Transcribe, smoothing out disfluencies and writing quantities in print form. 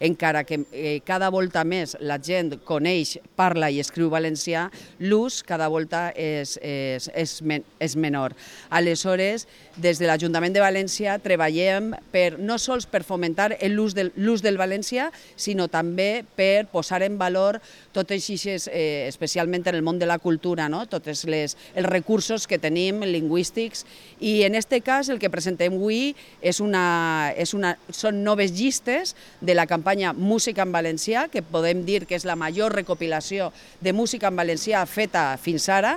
encara que cada volta més la gent coneix, parla i escriu valencià, l'ús cada volta és menor. Aleshores, des de l'Ajuntament de València treballem no sols per fomentar l'ús del valencià, sinó també per posar en valor totes aquestes, especialment en el món de la cultura, tots els recursos que tenim lingüístics, i en aquest cas el que presentem avui són noves llistes de la campanya Música en Valencià, que podem dir que és la major recopilació de música en valencià feta fins ara,